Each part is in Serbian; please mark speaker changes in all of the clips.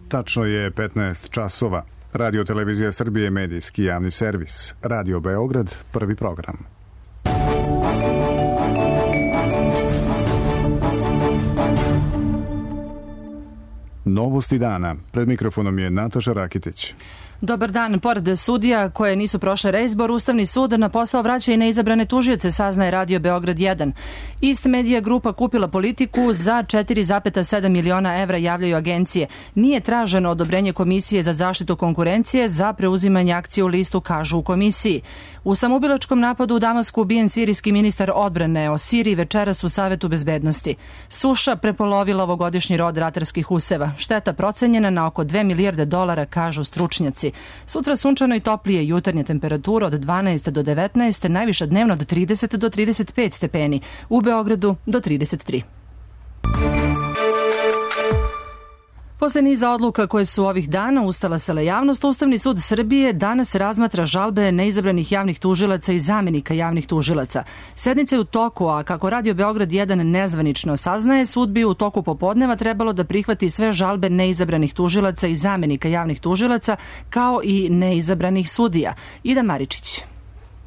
Speaker 1: Tačno je 15 časova. Radio Televizija Srbije, medijski javni servis. Radio Beograd, prvi program. Novosti dana. Pred mikrofonom je Nataša Rakitić.
Speaker 2: Dobar dan. Pored sudija koje nisu prošle reizbor, Ustavni sud na posao vraća i neizabrane tužioce, saznaje Radio Beograd 1. Ist Medija grupa kupila Politiku za 4,7 miliona evra, javljaju agencije. Nije traženo odobrenje Komisije za zaštitu konkurencije za preuzimanje akcije u listu, kažu u komisiji. U samoubilačkom napadu u Damasku ubijen sirijski ministar odbrane. O Siriji večeras u Savetu bezbednosti. Suša prepolovila ovogodišnji rod ratarskih useva. Šteta procenjena na oko 2 milijarde dolara, kažu stručnjaci. Sutra sunčano i toplije, jutarnja temperatura od 12 do 19, najviša dnevno od 30 do 35 stepeni, u Beogradu do 33. Posle niza odluka koje su ovih dana ustalasala javnost, Ustavni sud Srbije danas razmatra žalbe neizabranih javnih tužilaca i zamenika javnih tužilaca. Sednica je u toku, a kako Radio Beograd 1 nezvanično saznaje, sud bi u toku popodneva trebalo da prihvati sve žalbe neizabranih tužilaca i zamenika javnih tužilaca, kao i neizabranih sudija. Ida Maričić.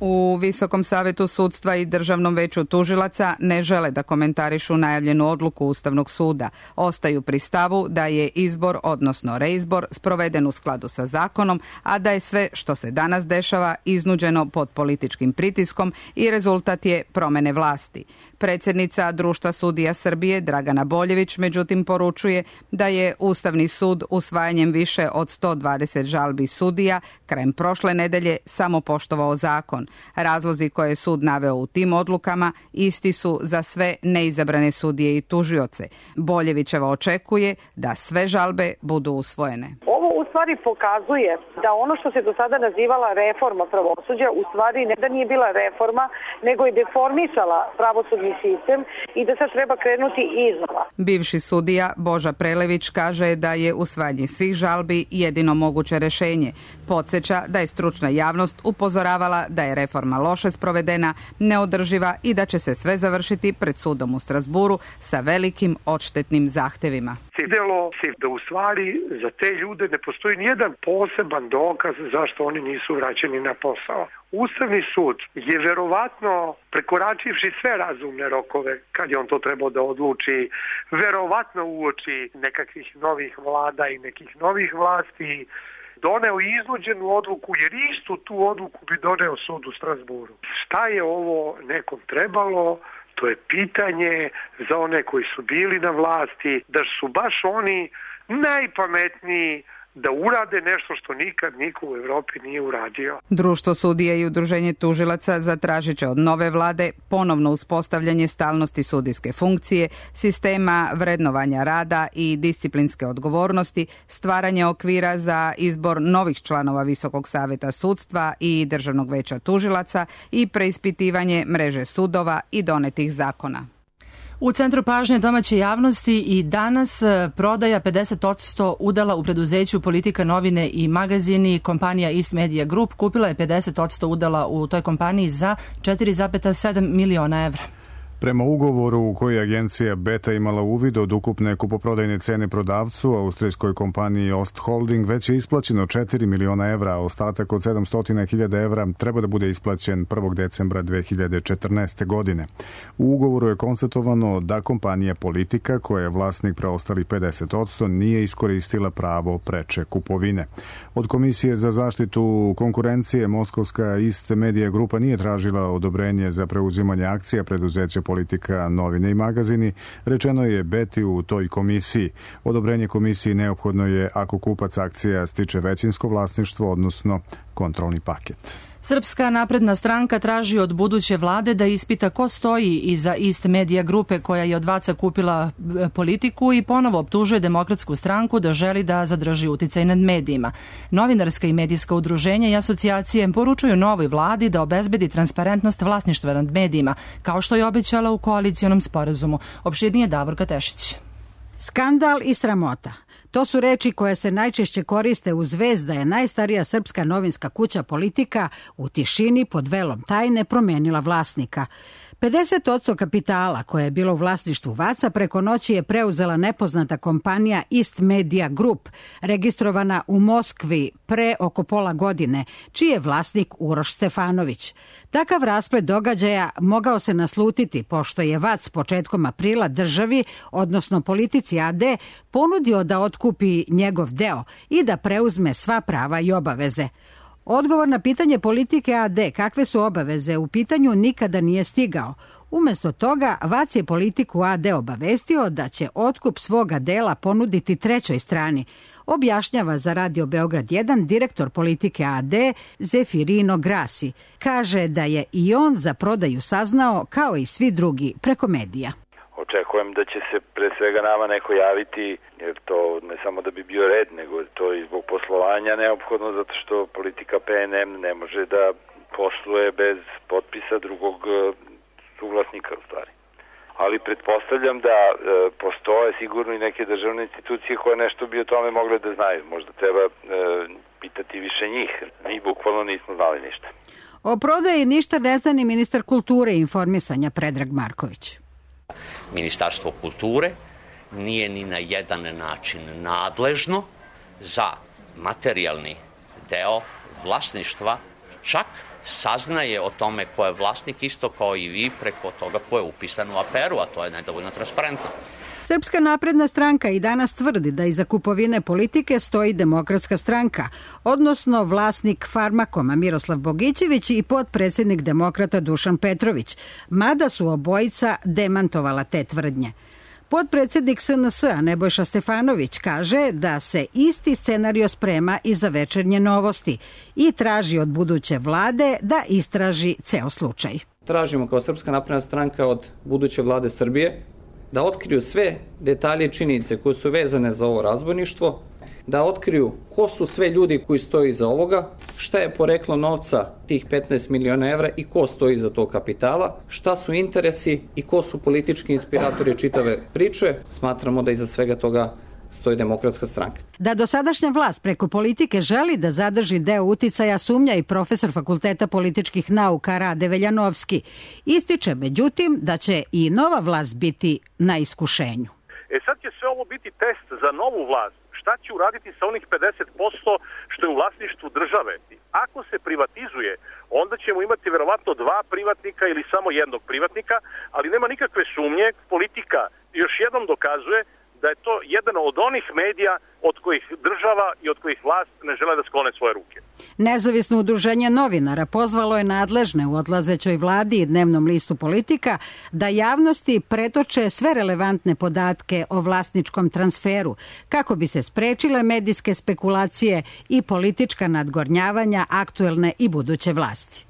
Speaker 3: U Visokom savetu sudstva i Državnom veću tužilaca ne žele da komentarišu najavljenu odluku Ustavnog suda. Ostaju pri stavu da je izbor, odnosno reizbor, sproveden u skladu sa zakonom, a da je sve što se danas dešava iznuđeno pod političkim pritiskom i rezultat je promene vlasti. Predsjednica Društva sudija Srbije Dragana Boljević međutim poručuje da je Ustavni sud usvajanjem više od 120 žalbi sudija krajem prošle nedelje samo poštovao zakon. Razlozi koje je sud naveo u tim odlukama isti su za sve neizabrane sudije i tužioce. Boljevićeva očekuje da sve žalbe budu usvojene.
Speaker 4: Ovo u stvari pokazuje da ono što se do sada nazivala reforma pravosuđa u stvari ne da nije bila reforma, nego je deformisala pravosudni sistem i da sad treba krenuti iznova.
Speaker 3: Bivši sudija Boža Prelević kaže da je usvajanje svih žalbi jedino moguće rešenje. Podsjeća da je stručna javnost upozoravala da je reforma loše sprovedena, neodrživa i da će se sve završiti pred sudom u Strasburu sa velikim odštetnim zahtevima.
Speaker 5: Videlo se da u stvari za te ljude ne postoji nijedan poseban dokaz zašto oni nisu vraćeni na posao. Ustavni sud je verovatno, prekoračivši sve razumne rokove, kad je on to trebao da odluči, verovatno uoči nekakvih novih vlada i nekih novih vlasti, doneo iznuđenu odluku, jer istu tu odluku bi doneo sud u Strasburu. Šta je ovo nekom trebalo? To je pitanje za one koji su bili na vlasti, da su baš oni najpametniji da urade nešto što nikad niko u Evropi nije uradio.
Speaker 3: Društvo sudija i Udruženje tužilaca zatražit će od nove vlade ponovno uspostavljanje stalnosti sudijske funkcije, sistema vrednovanja rada i disciplinske odgovornosti, stvaranje okvira za izbor novih članova Visokog saveta sudstva i Državnog veća tužilaca i preispitivanje mreže sudova i donetih zakona.
Speaker 2: U centru pažnje domaće javnosti i danas prodaja 50% udela u preduzeću Politika novine i magazini. Kompanija Ist Medija Group kupila je 50% udela u toj kompaniji za 4,7 miliona evra.
Speaker 1: Prema ugovoru u koji je agencija Beta imala uvid od ukupne kupoprodajne cene prodavcu, austrijskoj kompaniji Ostholding, već je isplaćeno 4 miliona evra, a ostatak od 700.000 evra treba da bude isplaćen 1. decembra 2014. godine. U ugovoru je konstatovano da kompanija Politika, koja je vlasnik preostalih 50%, nije iskoristila pravo preče kupovine. Od Komisije za zaštitu konkurencije moskovska Ist Medija grupa nije tražila odobrenje za preuzimanje akcija preduzeća Politika novine i magazini, rečeno je Beti u toj komisiji. Odobrenje komisiji neophodno je ako kupac akcija stiče većinsko vlasništvo, odnosno kontrolni paket.
Speaker 2: Srpska napredna stranka traži od buduće vlade da ispita ko stoji iza Ist Medija grupe koja je od Vaca kupila Politiku i ponovo optužuje Demokratsku stranku da želi da zadrži uticaj nad medijima. Novinarska i medijska udruženja i asocijacije poručuju novoj vladi da obezbedi transparentnost vlasništva nad medijima, kao što je obećala u koalicijonom sporazumu. Opširnije Davorka Tešić.
Speaker 6: Skandal i sramota. To su reči koje se najčešće koriste uz vest da je najstarija srpska novinska kuća Politika u tišini pod velom tajne promenila vlasnika. 50% kapitala koje je bilo u vlasništvu VAC-a preko noći je preuzela nepoznata kompanija Ist Media Group, registrovana u Moskvi pre oko pola godine, čiji je vlasnik Uroš Stefanović. Takav rasplet događaja mogao se naslutiti pošto je VAC početkom aprila državi, odnosno Politici AD, ponudio da otkupi njegov deo i da preuzme sva prava i obaveze. Odgovor na pitanje Politike AD kakve su obaveze u pitanju nikada nije stigao. Umjesto toga, VAC je Politiku AD obavestio da će otkup svoga dela ponuditi trećoj strani, objašnjava za Radio Beograd 1 direktor Politike AD Zefirino Grasi. Kaže da je i on za prodaju saznao kao i svi drugi preko medija.
Speaker 7: Očekujem da će se pre svega nama neko javiti, jer to ne samo da bi bio red, nego to i zbog poslovanja neophodno, zato što Politika PNM ne može da posluje bez potpisa drugog suvlasnika u stvari. Ali pretpostavljam da postoje sigurno i neke državne institucije koje nešto bi o tome mogle da znaju. Možda treba pitati više njih. Mi bukvalno nismo znali ništa.
Speaker 6: O prodaji ništa ne zna ni ministar kulture i informisanja Predrag Marković.
Speaker 8: Ministarstvo kulture nije ni na jedan način nadležno za materijalni deo vlasništva, čak saznaje o tome ko je vlasnik isto kao i vi preko toga ko je upisan u APR-u, a to je nedovoljno transparentno.
Speaker 6: Srpska napredna stranka i danas tvrdi da iza kupovine Politike stoji Demokratska stranka, odnosno vlasnik Farmakoma Miroslav Bogićević i potpredsjednik Demokrata Dušan Petrović, mada su obojica demantovala te tvrdnje. Potpredsjednik SNS-a Nebojša Stefanović kaže da se isti scenario sprema i za Večernje novosti i traži od buduće vlade da istraži ceo slučaj.
Speaker 9: Tražimo kao Srpska napredna stranka od buduće vlade Srbije da otkriju sve detalje i činjenice koje su vezane za ovo razbojništvo, da otkriju ko su sve ljudi koji stoji iza ovoga, šta je poreklo novca tih 15 miliona evra i ko stoji iza tog kapitala, šta su interesi i ko su politički inspiratori čitave priče. Smatramo da iza svega toga stoji Demokratska stranka.
Speaker 6: Da dosadašnja vlast preko Politike želi da zadrži deo uticaja sumnja i profesor Fakulteta političkih nauka Rade Veljanovski. Ističe, međutim, da će i nova vlast biti na iskušenju.
Speaker 10: Sad će sve ovo biti test za novu vlast. Šta će uraditi sa onih 50% što je u vlasništvu države? Ako se privatizuje, onda ćemo imati verovatno dva privatnika ili samo jednog privatnika, ali nema nikakve sumnje. Politika još jednom dokazuje da je to jedan od onih medija od kojih država i od kojih vlast ne žele da sklone svoje ruke.
Speaker 6: Nezavisno udruženje novinara pozvalo je nadležne u odlazećoj vladi i dnevnom listu Politika da javnosti pretoče sve relevantne podatke o vlasničkom transferu kako bi se sprečile medijske spekulacije i politička nadgornjavanja aktuelne i buduće vlasti.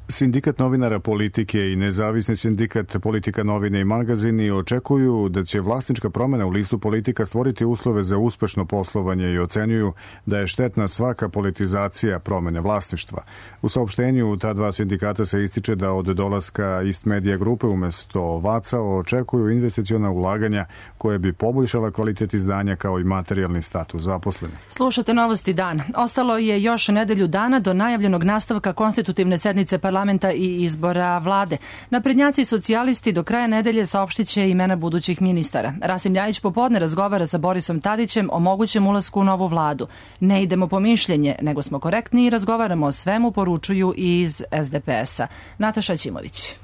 Speaker 1: Sindikat novinara Politike i nezavisni sindikat Politika novine i magazini očekuju da će vlasnička promjena u listu Politika stvoriti uslove za uspešno poslovanje i ocenjuju da je štetna svaka politizacija promjene vlasništva. U saopštenju ta dva sindikata se ističe da od dolaska Ist Media grupe umjesto VAC-a očekuju investiciona ulaganja koje bi poboljšala kvalitet izdanja kao i materijalni status zaposlenih.
Speaker 2: Slušate Novosti dan. Ostalo je još nedelju dana do najavljenog nastavka konstitutivne sednice parlamenta i izbora vlade. Naprednjaci i socijalisti do kraja nedelje saopštit će imena budućih ministara. Rasim Ljajić popodne razgovara sa Borisom Tadićem o mogućem ulasku u novu vladu. Ne idemo po mišljenje, nego smo korektni i razgovaramo o svemu, poručuju iz SDP-a. Nataša Ćimović.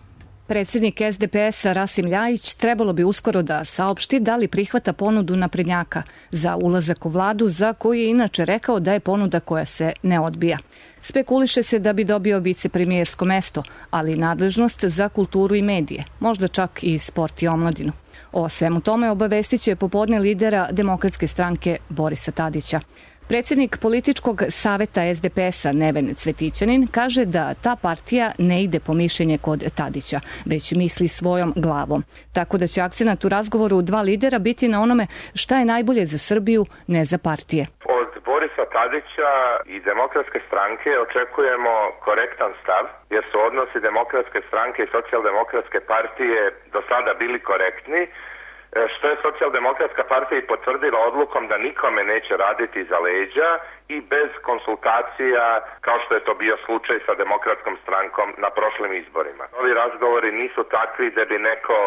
Speaker 11: Predsjednik SDP-a Rasim Ljajić trebalo bi uskoro da saopšti da li prihvata ponudu naprednjaka za ulazak u vladu, za koju je inače rekao da je ponuda koja se ne odbija. Spekuliše se da bi dobio vicepremijersko mesto, ali i nadležnost za kulturu i medije, možda čak i sport i omladinu. O svemu tome obavestit će popodne lidera Demokratske stranke Borisa Tadića. Predsjednik političkog saveta SDP-a Neven Cvetićanin kaže da ta partija ne ide po mišljenje kod Tadića, već misli svojom glavom. Tako da će akcenat u razgovoru dva lidera biti na onome šta je najbolje za Srbiju, ne za partije.
Speaker 12: Od Borisa Tadića i Demokratske stranke očekujemo korektan stav, jer su odnosi Demokratske stranke i Socijaldemokratske partije do sada bili korektni. što je Socijaldemokratska partija i potvrdila odlukom da nikome neće raditi za leđa i bez konsultacija, kao što je to bio slučaj sa Demokratskom strankom na prošlim izborima. Ovi razgovori nisu takvi da bi neko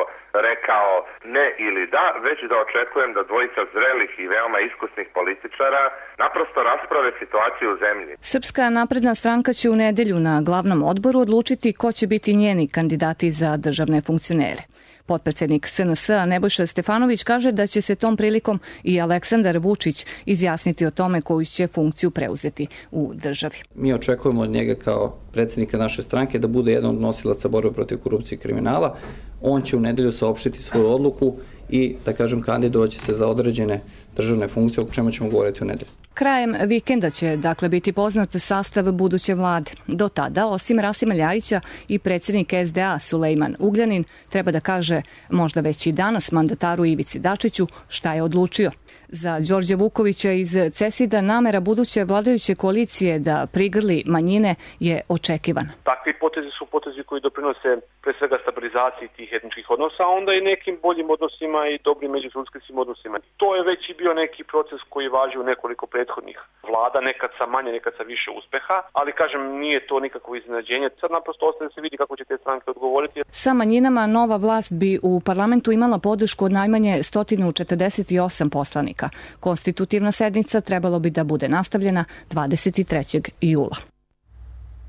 Speaker 12: rekao ne ili da, već da očekujem da dvojica zrelih i veoma iskusnih političara naprosto rasprave situaciju u zemlji.
Speaker 11: Srpska napredna stranka će u nedelju na glavnom odboru odlučiti ko će biti njeni kandidati za državne funkcionere. Potpredsednik SNS Nebojša Stefanović kaže da će se tom prilikom i Aleksandar Vučić izjasniti o tome koju će funkciju preuzeti u državi.
Speaker 9: Mi očekujemo od njega kao predsednika naše stranke da bude jedan od nosilaca borbe protiv korupcije i kriminala. On će u nedelju saopštiti svoju odluku i, da kažem, kandidovaće se za određene državne funkcije, o čemu ćemo govoriti u nedelju.
Speaker 11: Krajem vikenda će, dakle, biti poznat sastav buduće vlade. Do tada, osim Rasima Ljajića i predsjednik SDA Sulejman Ugljanin, treba da kaže možda već i danas mandataru Ivici Dačiću šta je odlučio. Za Đorđa Vukovića iz CESID-a namera buduće vladajuće koalicije da prigrli manjine je očekivana.
Speaker 10: Takvi potezi su potezi koji doprinose pre svega stabilizaciji tih etničkih odnosa, a onda i nekim boljim odnosima i dobrim međuljudskih odnosima. To je već i bio neki proces koji važi u nekoliko prethodnih vlada, nekad sa manje, nekad sa više uspeha, ali kažem nije to nikakvo iznenađenje. Sad naprosto ostaje da se vidi kako će te stranke odgovoriti.
Speaker 11: Sa manjinama nova vlast bi u parlamentu imala podršku od najmanje 148 poslanika. Konstitutivna sednica trebalo bi da bude nastavljena 23. jula.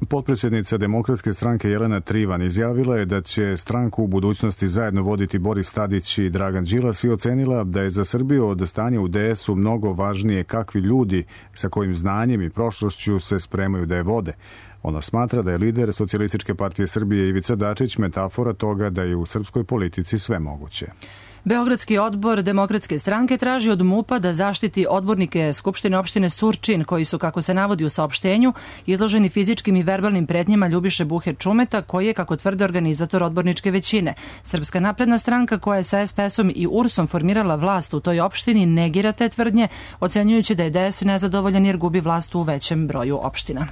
Speaker 1: Potpredsjednica Demokratske stranke Jelena Trivan izjavila je da će stranku u budućnosti zajedno voditi Boris Tadić i Dragan Đilas i ocenila da je za Srbiju od stanja u DS-u mnogo važnije kakvi ljudi sa kojim znanjem i prošlošću se spremaju da je vode. Ona smatra da je lider Socijalističke partije Srbije Ivica Dačić metafora toga da je u srpskoj politici sve moguće.
Speaker 2: Beogradski odbor Demokratske stranke traži od MUP-a da zaštiti odbornike Skupštine opštine Surčin, koji su, kako se navodi u saopštenju, izloženi fizičkim i verbalnim pretnjama Ljubiše Buhe Čumeta, koji je, kako tvrde, organizator odborničke većine. Srpska napredna stranka, koja je sa SPS-om i URS-om formirala vlast u toj opštini, negira te tvrdnje, ocenjujući da je DS nezadovoljan jer gubi vlast u većem broju opština.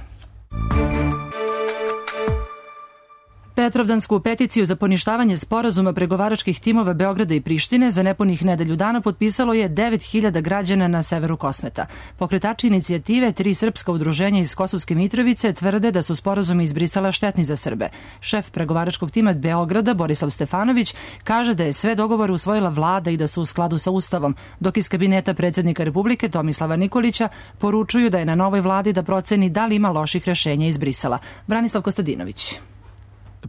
Speaker 2: Petrovdansku peticiju za poništavanje sporazuma pregovaračkih timova Beograda i Prištine za nepunih nedelju dana potpisalo je 9.000 građana na severu Kosmeta. Pokretači inicijative, 3 srpska udruženja iz Kosovske Mitrovice, tvrde da su sporazumi iz Brisela štetni za Srbe. Šef pregovaračkog tima Beograda, Borislav Stefanović, kaže da je sve dogovore usvojila vlada i da su u skladu sa Ustavom, dok iz kabineta predsjednika Republike Tomislava Nikolića poručuju da je na novoj vladi da proceni da li ima loših rešenja iz Brisela. Branislav Kostadinović.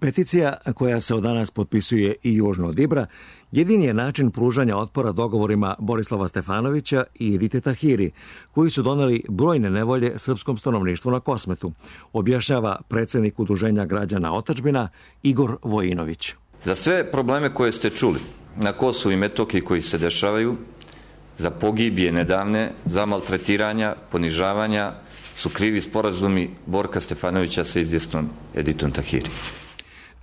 Speaker 13: Peticija, koja se od danas potpisuje i južno od Ibra, jedini je način pružanja otpora dogovorima Borislava Stefanovića i Edite Tahiri, koji su doneli brojne nevolje srpskom stanovništvu na Kosmetu, objašnjava predsjednik Udruženja građana Otadžbina Igor Vojinović.
Speaker 14: Za sve probleme koje ste čuli na Kosovu i Metohiji koji se dešavaju, za pogibije nedavne, za maltretiranja, ponižavanja, su krivi sporazumi Borka Stefanovića sa izvjesnom Editom Tahiri.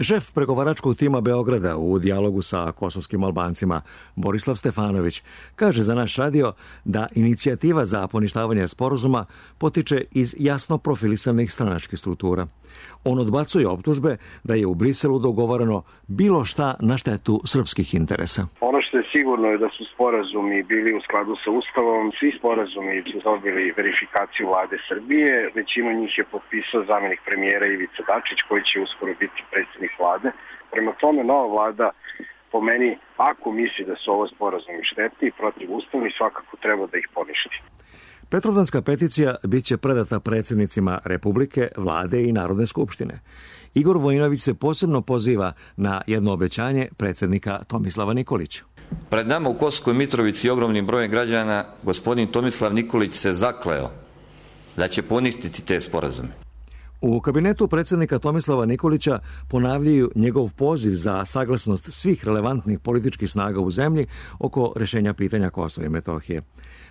Speaker 13: Šef pregovaračkog tima Beograda u dijalogu sa kosovskim Albancima Borislav Stefanović kaže za naš radio da inicijativa za poništavanje sporazuma potiče iz jasno profilisanih stranačkih struktura. On odbacuje optužbe da je u Briselu dogovoreno bilo šta na štetu srpskih interesa.
Speaker 15: Ono što je sigurno je da su sporazumi bili u skladu sa Ustavom. Svi sporazumi su dobili verifikaciju vlade Srbije. Većinu njih je potpisao zamjenik premijera Ivica Dačić, koji će uskoro biti predsjednik vlade. Prema tome, nova vlada, po meni, ako misli da su ovo sporazumi štetni i protivustavni, svakako treba da ih poništi.
Speaker 13: Petrovdanska peticija bit će predata predsjednicima Republike, vlade i Narodne skupštine. Igor Vojinović se posebno poziva na jedno obećanje predsjednika Tomislava Nikolića.
Speaker 14: Pred nama u Kosovskoj Mitrovici i ogromnim brojem građana gospodin Tomislav Nikolić se zakleo da će poništiti te sporazume.
Speaker 13: U kabinetu predsjednika Tomislava Nikolića ponavljaju njegov poziv za saglasnost svih relevantnih političkih snaga u zemlji oko rješenja pitanja Kosova i Metohije.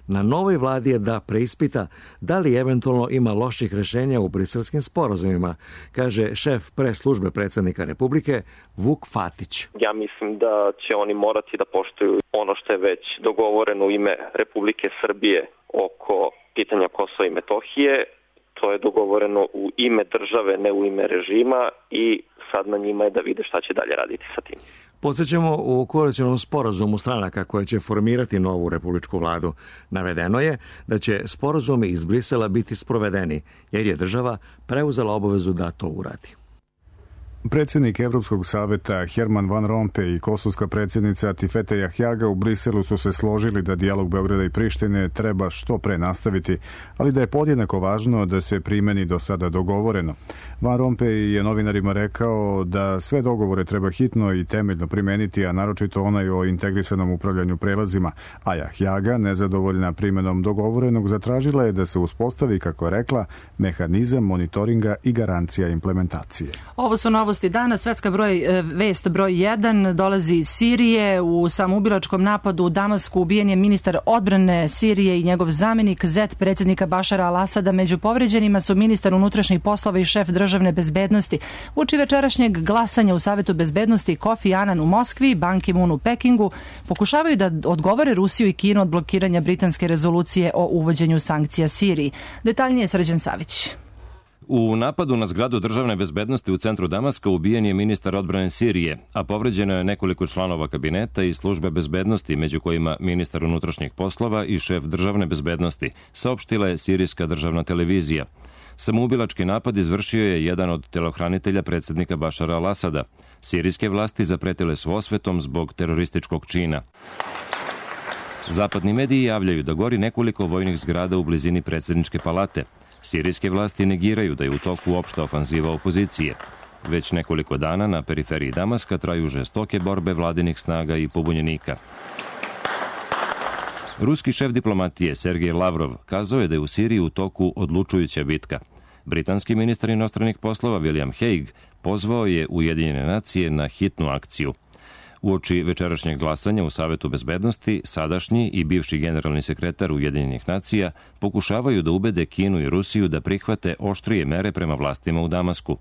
Speaker 13: Na novoj vladi je da preispita da li eventualno ima loših rješenja u briselskim sporazumima, kaže šef pres službe predsjednika Republike Vuk Fatić.
Speaker 16: Ja mislim da će oni morati da poštuju ono što je već dogovoreno u ime Republike Srbije oko pitanja Kosova i Metohije. To je dogovoreno u ime države, ne u ime režima, i sad na njima je da vide šta će dalje raditi sa tim.
Speaker 13: Podsjećamo u koalicionom sporazumu stranaka koje će formirati novu republičku vladu. Navedeno je da će sporazumi iz Brisela biti sprovedeni, jer je država preuzela obavezu da to uradi.
Speaker 1: Predsjednik Evropskog saveta Herman Van Rompuy i kosovska predsjednica Tifete Jahjaga u Briselu su se složili da dijalog Beograda i Prištine treba što pre nastaviti, ali da je podjednako važno da se primeni do sada dogovoreno. Van Rompuy je novinarima rekao da sve dogovore treba hitno i temeljno primeniti, a naročito onaj o integrisanom upravljanju prelazima, a Jahjaga, nezadovoljna primenom dogovorenog, zatražila je da se uspostavi, kako je rekla, mehanizam monitoringa i garancija implementacije.
Speaker 2: Ovo su novosti dana. Svetska vest broj 1 dolazi iz Sirije. U samoubilačkom napadu u Damasku ubijen je ministar odbrane Sirije i njegov zamjenik, zet predsjednika Bašara al-Asada. Među povređenima su ministar unutrašnjih poslova i šef državne bezbednosti. Uoči večerašnjeg glasanja u Savetu bezbednosti Kofi Annan u Moskvi, Ban Ki-moon u Pekingu pokušavaju da odgovore Rusiju i Kinu od blokiranja britanske rezolucije o uvođenju sankcija Siriji. Detaljnije Srđan Savić.
Speaker 17: U napadu na zgradu državne bezbednosti u centru Damaska ubijen je ministar odbrane Sirije, a povređeno je nekoliko članova kabineta i službe bezbednosti, među kojima ministar unutrašnjih poslova i šef državne bezbednosti, saopštila je sirijska državna televizija. Samoubilački napad izvršio je jedan od telohranitelja predsjednika Bašara al-Asada. Sirijske vlasti zapretile su osvetom zbog terorističkog čina. Zapadni mediji javljaju da gori nekoliko vojnih zgrada u blizini predsjedničke palate. Sirijske vlasti negiraju da je u toku opšta ofanziva opozicije. Već nekoliko dana na periferiji Damaska traju žestoke borbe vladinih snaga i pobunjenika. Ruski šef diplomatije Sergej Lavrov kazao je da je u Siriji u toku odlučujuća bitka. Britanski ministar inostranih poslova William Hague pozvao je Ujedinjene nacije na hitnu akciju. Uoči večerašnjeg glasanja u Savetu bezbednosti, sadašnji i bivši generalni sekretar Ujedinjenih nacija pokušavaju da ubede Kinu i Rusiju da prihvate oštrije mere prema vlastima u Damasku.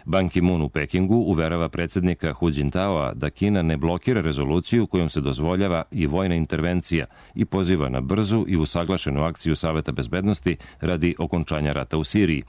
Speaker 17: Ban Ki-moon u Pekingu uverava predsjednika Hu Jintaoa da Kina ne blokira rezoluciju kojom se dozvoljava i vojna intervencija i poziva na brzu i usaglašenu akciju Saveta bezbednosti radi okončanja rata u Siriji.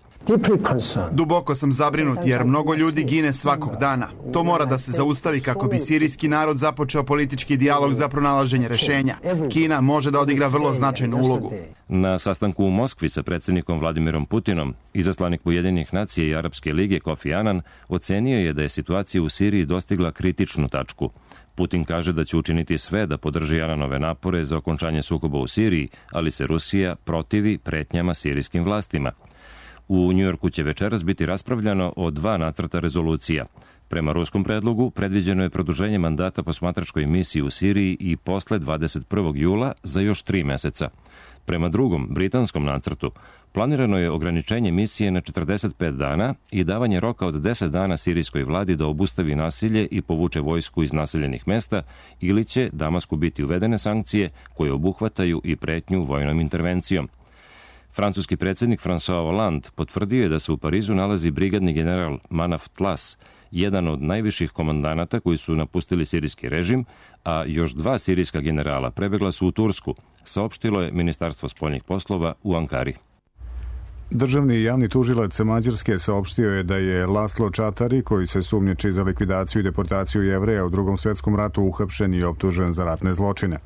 Speaker 18: Duboko sam zabrinut jer mnogo ljudi gine svakog dana. To mora da se zaustavi kako bi sirijski narod započeo politički dijalog za pronalaženje rešenja. Kina može da odigra vrlo značajnu ulogu.
Speaker 17: Na sastanku u Moskvi sa predsjednikom Vladimirom Putinom, izaslanik Ujedinjenih nacija i Arapske lige Kofi Annan ocenio je da je situacija u Siriji dostigla kritičnu tačku. Putin kaže da će učiniti sve da podrži Annanove napore za okončanje sukoba u Siriji, ali se Rusija protivi pretnjama sirijskim vlastima. U Njujorku će večeras biti raspravljano o 2 nacrta rezolucija. Prema ruskom predlogu predviđeno je produženje mandata posmatračkoj misiji u Siriji i posle 21. jula za još 3 meseca. Prema drugom, britanskom nacrtu, planirano je ograničenje misije na 45 dana i davanje roka od 10 dana sirijskoj vladi da obustavi nasilje i povuče vojsku iz naseljenih mesta, ili će Damasku biti uvedene sankcije koje obuhvataju i pretnju vojnom intervencijom. Francuski predsjednik François Hollande potvrdio je da se u Parizu nalazi brigadni general Manaf Tlas, jedan od najviših komandanata koji su napustili sirijski režim, a još 2 sirijska generala prebegla su u Tursku, saopštilo je Ministarstvo spoljnih poslova u Ankari.
Speaker 1: Državni javni tužilac Mađarske saopštio je da je Laslo Čatari, koji se sumnjiči za likvidaciju i deportaciju Jevreja u Drugom svjetskom ratu, uhapšen i optužen za ratne zločine.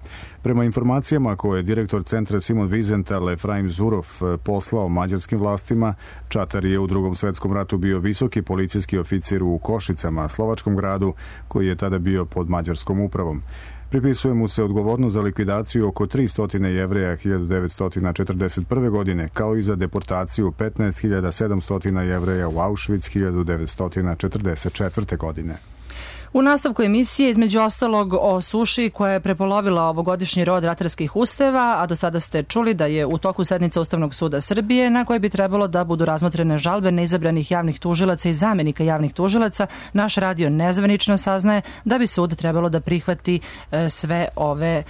Speaker 1: Prema informacijama koje je direktor centra Simon Wiesenthal Efraim Zurov poslao mađarskim vlastima, Čatari je u Drugom svjetskom ratu bio visoki policijski oficir u Košicama, slovačkom gradu, koji je tada bio pod mađarskom upravom. Pripisuje mu se odgovornost za likvidaciju oko 300 Jevreja 1941. godine, kao i za deportaciju 15.700 Jevreja u Auschwitz 1944. godine.
Speaker 2: U nastavku emisije, između ostalog, o suši koja je prepolovila ovogodišnji rod ratarskih ustava, a do sada ste čuli da je u toku sednica Ustavnog suda Srbije, na koje bi trebalo da budu razmotrene žalbe neizabranih javnih tužilaca i zamenika javnih tužilaca. Naš radio nezvanično saznaje da bi sud trebalo da prihvati sve ove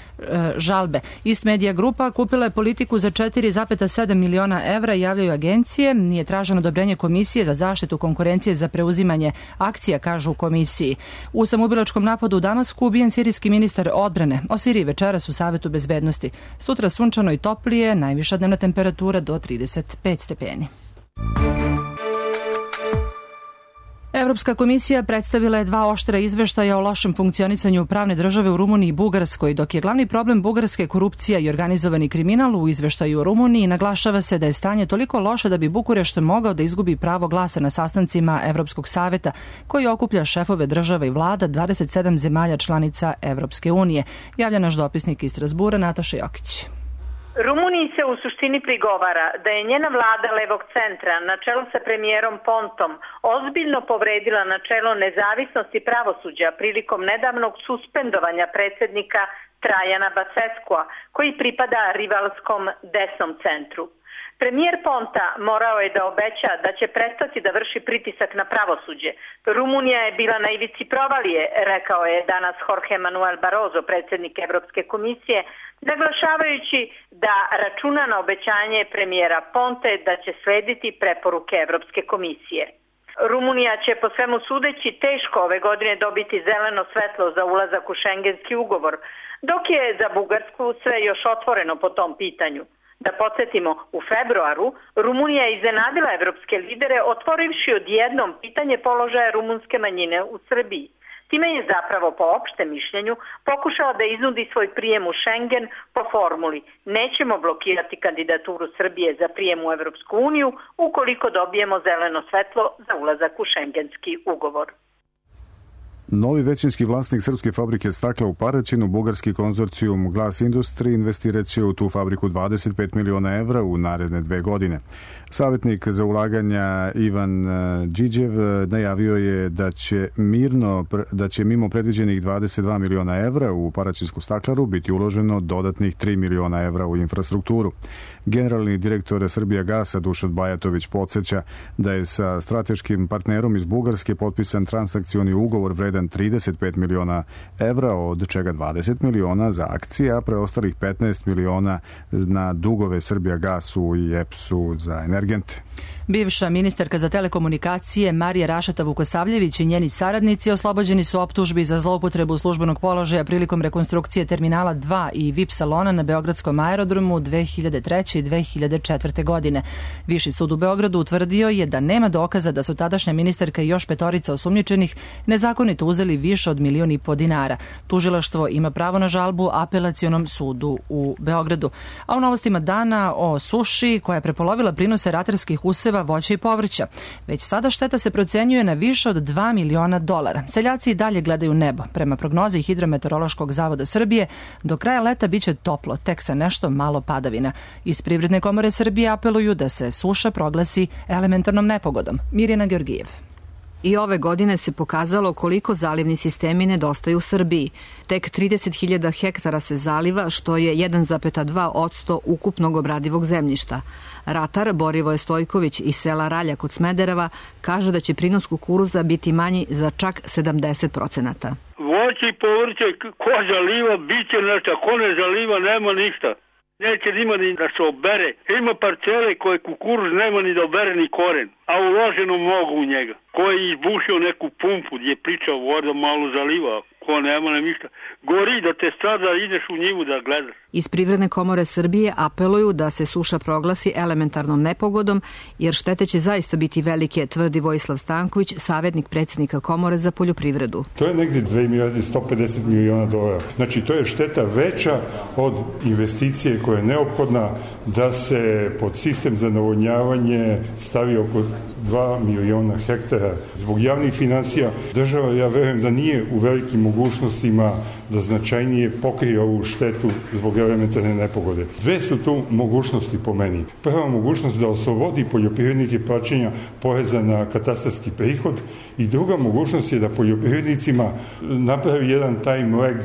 Speaker 2: žalbe. East Media Grupa kupila je Politiku za 4,7 miliona evra, javljaju agencije. Nije traženo odobrenje Komisije za zaštitu konkurencije za preuzimanje akcija, kažu u komisiji. U samoubilačkom napadu u Damasku ubijen sirijski ministar odbrane. O Siriji večeras u Savetu bezbednosti. Sutra sunčano i toplije, najviša dnevna temperatura do 35 stepeni. Evropska komisija predstavila je 2 oštra izveštaja o lošem funkcionisanju pravne države u Rumuniji i Bugarskoj, dok je glavni problem Bugarske korupcija i organizovani kriminal. U izveštaju o Rumuniji naglašava se da je stanje toliko loše da bi Bukurešt mogao da izgubi pravo glasa na sastancima Evropskog saveta, koji okuplja šefove država i vlada 27 zemalja članica Evropske unije. Javlja naš dopisnik iz Strasbura Nataša Jokić.
Speaker 19: Rumuniji se u suštini prigovara da je njena vlada levog centra na čelu sa premijerom Pontom ozbiljno povredila načelo nezavisnosti pravosuđa prilikom nedavnog suspendovanja predsjednika Trajana Baseskua, koji pripada rivalskom desnom centru. Premijer Ponta morao je da obeća da će prestati da vrši pritisak na pravosuđe. Rumunija je bila na ivici provalije, rekao je danas Jorge Manuel Barroso, predsjednik Evropske komisije, naglašavajući da računa na obećanje premijera Ponte da će slediti preporuke Evropske komisije. Rumunija će po svemu sudeći teško ove godine dobiti zeleno svetlo za ulazak u šengenski ugovor, dok je za Bugarsku sve još otvoreno po tom pitanju. Da podsjetimo, u februaru Rumunija je iznenadila evropske lidere otvorivši odjednom pitanje položaja rumunske manjine u Srbiji. Time je zapravo po opštem mišljenju pokušala da iznudi svoj prijem u Schengen po formuli nećemo blokirati kandidaturu Srbije za prijem u Evropsku uniju ukoliko dobijemo zeleno svetlo za ulazak u šengenski ugovor.
Speaker 1: Novi većinski vlasnik srpske fabrike stakla u Paraćinu, bugarski konzorcijum Glas Industri, investirat će u tu fabriku 25 miliona evra u naredne 2 godine. Savjetnik za ulaganja Ivan Điđev najavio je da će mimo predviđenih 22 miliona evra u paraćinsku staklaru biti uloženo dodatnih 3 miliona evra u infrastrukturu. Generalni direktor Srbijagasa Dušan Bajatović podsjeća da je sa strateškim partnerom iz Bugarske potpisan transakcioni ugovor vredan 35 miliona evra, od čega 20 miliona za akcije, a preostalih 15 miliona na dugove Srbijagasu i EPS-u za energente.
Speaker 2: Bivša ministarka za telekomunikacije Marija Rašeta Vukosavljević i njeni saradnici oslobođeni su optužbi za zloupotrebu službenog položaja prilikom rekonstrukcije Terminala 2 i VIP salona na Beogradskom aerodromu 2003. i 2004. godine. Viši sud u Beogradu utvrdio je da nema dokaza da su tadašnja ministarka i još 5 osumnjičenih nezakonito uzeli više od 1,5 miliona dinara. Tužilaštvo ima pravo na žalbu Apelacionom sudu u Beogradu. A u novostima dana o suši koja je prepolovila prinose ratarskih useva, voća i povrća. Već sada šteta se procenjuje na više od $2 miliona. Seljaci i dalje gledaju nebo. Prema prognozi Hidrometeorološkog zavoda Srbije, do kraja leta biće toplo, tek sa nešto malo padavina. Iz Privredne komore Srbije apeluju da se suša proglasi elementarnom nepogodom. Mirjana Georgijev.
Speaker 20: I ove godine se pokazalo koliko zalivni sistemi nedostaju u Srbiji. Tek 30.000 hektara se zaliva, što je 1,2% ukupnog obradivog zemljišta. Ratar Borivoje Stojković iz sela Ralja kod Smedereva kaže da će prinos kukuruza biti manji za čak 70%.
Speaker 21: Voće i povrće, ko zaliva, bit će nešto, ko ne zaliva, nema ništa. Neće nima ni da se obere. Ima parcele koje kukuruz nema ni da obere ni koren, a uloženo mnogo u njega. Ko je izbušio neku pumpu gdje je pričao voda malo zaliva, ko nema ništa. Gori da te sada ideš u njivu da gledaš.
Speaker 20: Iz Privredne komore Srbije apeluju da se suša proglasi elementarnom nepogodom, jer štete će zaista biti velike, tvrdi Vojislav Stanković, savjetnik predsjednika komore za poljoprivredu.
Speaker 22: To je negdje 2.150 miliona dolara. Znači, to je šteta veća od investicije koja je neophodna da se pod sistem za navodnjavanje stavi oko 2 miliona hektara. Zbog javnih financija država, ja verujem da nije u velikim mogućnostima da značajnije pokrije ovu štetu zbog elementarne nepogode. Dve su tu mogućnosti po meni. Prva mogućnost da oslobodi poljoprivrednike plaćanja poreza na katastarski prihod i druga mogućnost je da poljoprivrednicima napravi jedan time lag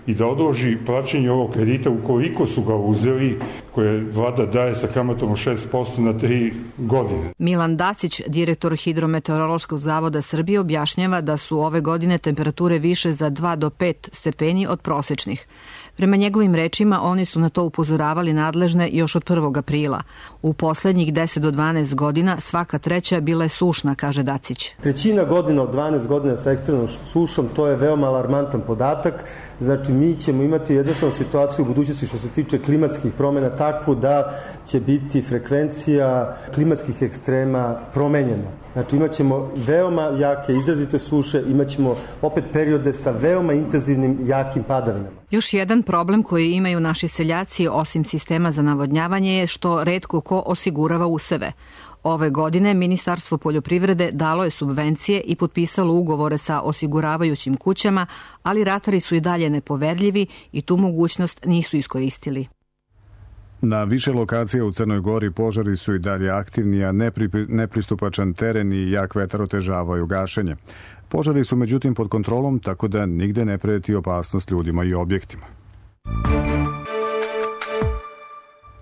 Speaker 22: i da odloži plaćanje ovog kredita ukoliko su ga uzeli, koje vlada daje sa kamatom od 6% na 3 godine.
Speaker 20: Milan Dacić, direktor Hidrometeorološkog zavoda Srbije, objašnjava da su ove godine temperature više za 2 do 5 stepeni manji od prosečnih. Prema njegovim rečima, oni su na to upozoravali nadležne još od 1. aprila. U poslednjih 10 do 12 godina svaka treća bila je sušna, kaže Dacić.
Speaker 4: Trećina godina od 12 godina sa ekstremnom sušom, to je veoma alarmantan podatak. Znači, mi ćemo imati jednostavnu situaciju u budućnosti što se tiče klimatskih promjena takvu da će biti frekvencija klimatskih ekstrema promenjena. Znači, imat ćemo veoma jake, izrazite suše, imat ćemo opet periode sa veoma intenzivnim, jakim padavinama.
Speaker 20: Još jedan problem koji imaju naši seljaci, osim sistema za navodnjavanje, je što retko ko osigurava useve. Ove godine Ministarstvo poljoprivrede dalo je subvencije i potpisalo ugovore sa osiguravajućim kućama, ali ratari su i dalje nepoverljivi i tu mogućnost nisu iskoristili.
Speaker 1: Na više lokacija u Crnoj Gori požari su i dalje aktivni, a nepristupačan teren i jak vetar otežavaju gašenje. Požari su međutim pod kontrolom, tako da nigde ne preti opasnost ljudima i objektima.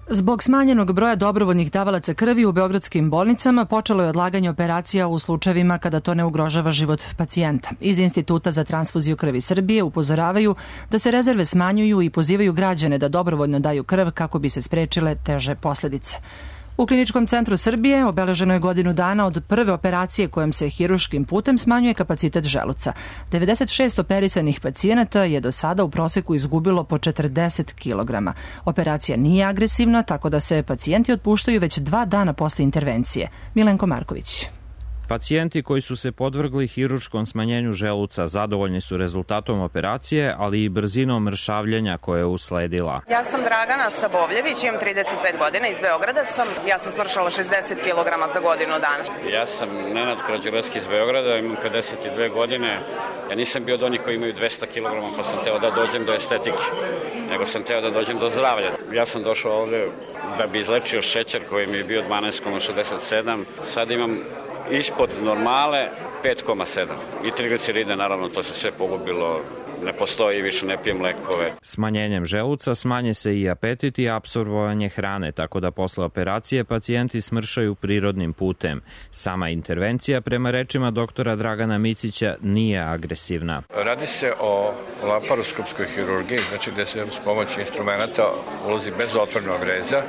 Speaker 2: Zbog smanjenog broja dobrovoljnih davalaca krvi u beogradskim bolnicama počelo je odlaganje operacija u slučajevima kada to ne ugrožava život pacijenta. Iz Instituta za transfuziju krvi Srbije upozoravaju da se rezerve smanjuju i pozivaju građane da dobrovoljno daju krv kako bi se sprečile teže posledice. U Kliničkom centru Srbije obeleženo je godinu dana od prve operacije kojom se hiruškim putem smanjuje kapacitet želuca. 96 operisanih pacijenata je do sada u proseku izgubilo po 40 kg. Operacija nije agresivna, tako da se pacijenti otpuštaju već 2 dana posle intervencije. Milenko Marković.
Speaker 5: Pacijenti koji su se podvrgli hiruškom smanjenju želuca zadovoljni su rezultatom operacije, ali i brzinom mršavljenja koje je usledila.
Speaker 23: Ja sam Dragana Sabovljević, imam 35 godina, iz Beograda sam. Ja sam smršala 60 kg za godinu dana.
Speaker 24: Ja sam Nenad Krađurovski iz Beograda, imam 52 godine. Ja nisam bio od onih koji imaju 200 kg, pa sam teo da dođem do estetike, nego sam teo da dođem do zdravlja. Ja sam došao ovde da bi izlečio šećer koji mi je bio 12,67. Sad imam ispod normale 5,7 i trigliceride, naravno to se sve pogubilo, ne postoji, više ne pijem lekove.
Speaker 5: Smanjenjem želuca smanje se i apetit i apsorbovanje hrane, tako da posle operacije pacijenti smršaju prirodnim putem. Sama intervencija, prema rečima doktora Dragana Micića, nije agresivna.
Speaker 25: Radi se o laparoskopskoj hirurgiji, znači gde se s pomoći instrumenta ulazi bez otvornog reza,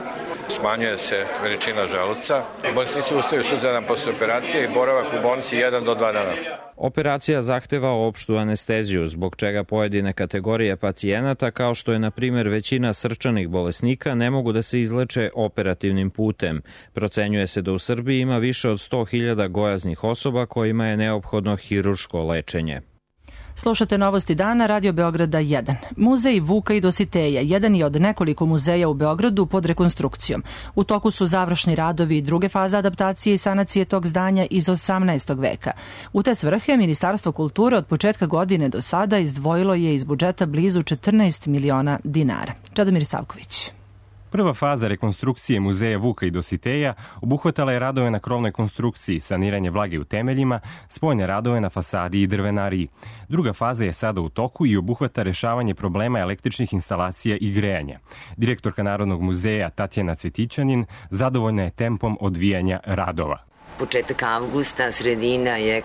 Speaker 25: smanjuje se veličina želuca. Bolesnici ustaju sutradan posle operacije i boravak u bolnici 1 do 2 dana.
Speaker 5: Operacija zahteva opštu anesteziju, zbog čega pojedine kategorije pacijenata, kao što je na primjer većina srčanih bolesnika, ne mogu da se izleče operativnim putem. Procenjuje se da u Srbiji ima više od 100.000 gojaznih osoba kojima je neophodno hirurško lečenje.
Speaker 2: Slušate Novosti dana, Radio Beograda 1. Muzej Vuka i Dositeja, jedan je od nekoliko muzeja u Beogradu pod rekonstrukcijom. U toku su završni radovi i druge faze adaptacije i sanacije tog zdanja iz 18. veka. U te svrhe Ministarstvo kulture od početka godine do sada izdvojilo je iz budžeta blizu 14 miliona dinara. Čedomir Savković.
Speaker 26: Prva faza rekonstrukcije muzeja Vuka i Dositeja obuhvatala je radove na krovnoj konstrukciji, saniranje vlage u temeljima, spoljne radove na fasadi i drvenariji. Druga faza je sada u toku i obuhvata rešavanje problema električnih instalacija i grejanja. Direktorka Narodnog muzeja Tatjana Cvetićanin zadovoljna je tempom odvijanja radova.
Speaker 27: Početak avgusta, sredina je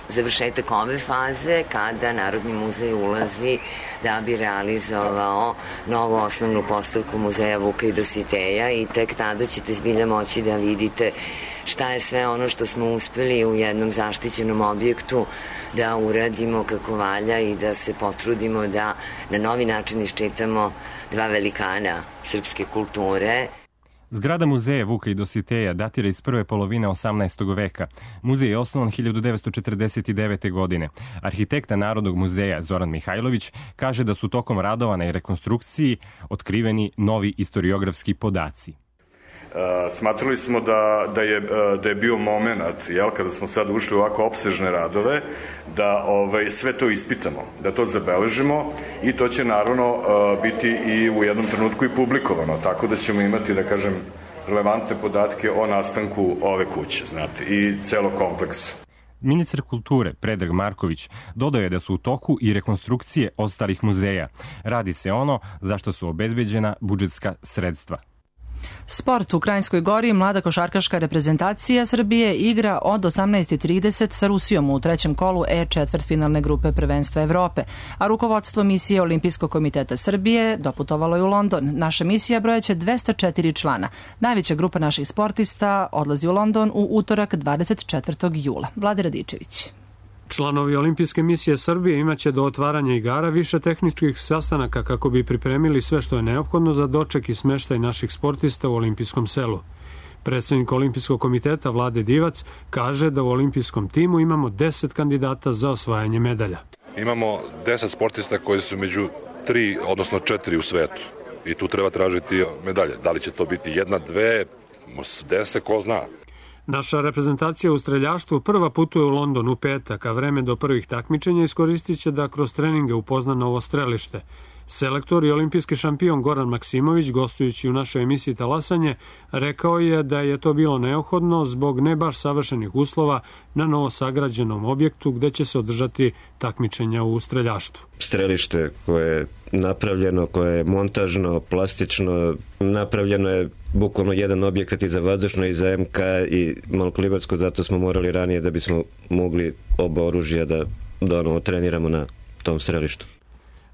Speaker 27: završetak ove faze kada Narodni muzej ulazi da bi realizovao novu osnovnu postavku muzeja Vuka i Dositeja i tek tada ćete zbilja moći da vidite šta je sve ono što smo uspeli u jednom zaštićenom objektu da uradimo kako valja i da se potrudimo da na novi način iščitamo 2 velikana srpske kulture.
Speaker 26: Zgrada muzeja Vuka i Dositeja datira iz prve polovine 18. veka. Muzej je osnovan 1949. godine. Arhitekta Narodnog muzeja Zoran Mihajlović kaže da su tokom radova na rekonstrukciji otkriveni novi istoriografski podaci.
Speaker 28: Smatrali smo da je bio moment, kada smo sad ušli u ovako opsežne radove, da sve to ispitamo, da to zabeležimo i to će naravno biti i u jednom trenutku i publikovano, tako da ćemo imati, da kažem, relevantne podatke o nastanku ove kuće, znate, i celog kompleksa.
Speaker 26: Ministar kulture Predrag Marković dodao je da su u toku i rekonstrukcije ostalih muzeja. Radi se ono za što su obezbeđena budžetska sredstva.
Speaker 2: Sport u Krajinskoj Gori, mlada košarkaška reprezentacija Srbije igra od 18:30 sa Rusijom u trećem kolu četvrtfinalne grupe prvenstva Evrope, a rukovodstvo misije Olimpijskog komiteta Srbije doputovalo je u London. Naša misija brojaće 204 člana. Najveća grupa naših sportista odlazi u London u utorak 24. jula. Vlade Radičević.
Speaker 3: Članovi Olimpijske misije Srbije imaće do otvaranja igara više tehničkih sastanaka kako bi pripremili sve što je neophodno za doček i smeštaj naših sportista u olimpijskom selu. Predsednik Olimpijskog komiteta Vlade Divac kaže da u olimpijskom timu imamo 10 kandidata za osvajanje medalja.
Speaker 6: Imamo 10 sportista koji su među 3, odnosno 4 u svetu i tu treba tražiti medalje. Da li će to biti 1, 2, 10, ko zna.
Speaker 3: Naša reprezentacija u streljaštvu prva putuje u London u petak, a vreme do prvih takmičenja iskoristit će da kroz treninge upozna novo strelište. Selektor i olimpijski šampion Goran Maksimović, gostujući u našoj emisiji Talasanje, rekao je da je to bilo neophodno zbog ne baš savršenih uslova na novosagrađenom objektu gde će se održati takmičenja u streljaštvu.
Speaker 7: Strelište koje je napravljeno, koje je montažno, plastično, napravljeno je bukvalno jedan objekat i za vazdušno i za MK i malokalibarsko, zato smo morali ranije da bismo mogli oba oružja da treniramo na tom strelištu.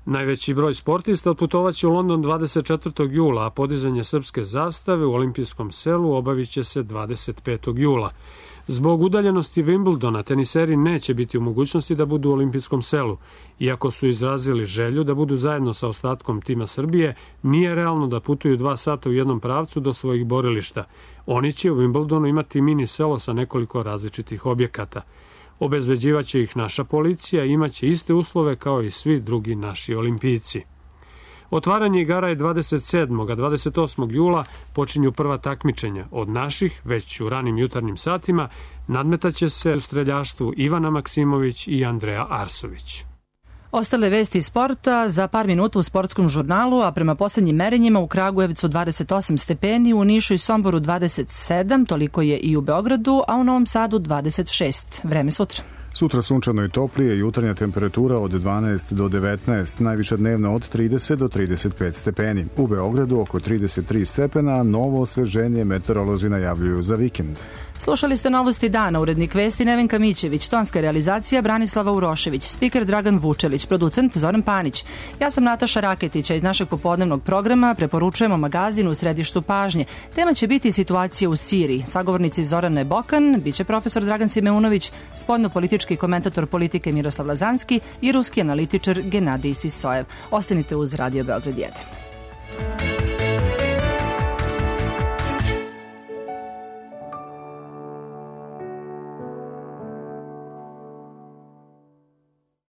Speaker 3: Najveći broj sportista otputovaće u London 24. jula, a podizanje srpske zastave u olimpijskom selu obavit će se 25. jula. Zbog udaljenosti Wimbledona, teniseri neće biti u mogućnosti da budu u olimpijskom selu. Iako su izrazili želju da budu zajedno sa ostatkom tima Srbije, nije realno da putuju 2 sata u jednom pravcu do svojih borilišta. Oni će u Wimbledonu imati mini selo sa nekoliko različitih objekata. Obezbeđivaće ih naša policija i imaće iste uslove kao i svi drugi naši olimpijci. Otvaranje igara je 27. a 28. jula počinju prva takmičenja. Od naših, već u ranim jutarnjim satima, nadmetaće se u streljaštvu Ivana Maksimović i Andreja Arsović.
Speaker 2: Ostale vesti iz sporta za par minuta u sportskom žurnalu, a prema poslednjim merenjima u Kragujevcu 28 stepeni, u Nišu i Somboru 27, toliko je i u Beogradu, a u Novom Sadu 26. Vreme sutra.
Speaker 1: Sutra sunčano i toplije, jutarnja temperatura od 12 do 19, najviša dnevna od 30 do 35 stepeni. U Beogradu oko 33 stepena, novo osveženje meteorolozi najavljuju za vikend.
Speaker 2: Slušali ste novosti dana, urednik vesti Nevenka Mićević, tonska realizacija Branislava Urošević, spiker Dragan Vučelić, producent Zoran Panić. Ja sam Nataša Raketić, a iz našeg popodnevnog programa preporučujemo magazin u središtu pažnje. Tema će biti situacija u Siriji. Sagovornici Zorane Bokan, biće profesor Dragan Simeunović, spoljnopolitički komentator politike Miroslav Lazanski i ruski analitičar Genadij Sisojev. Ostanite uz Radio Beograd 1.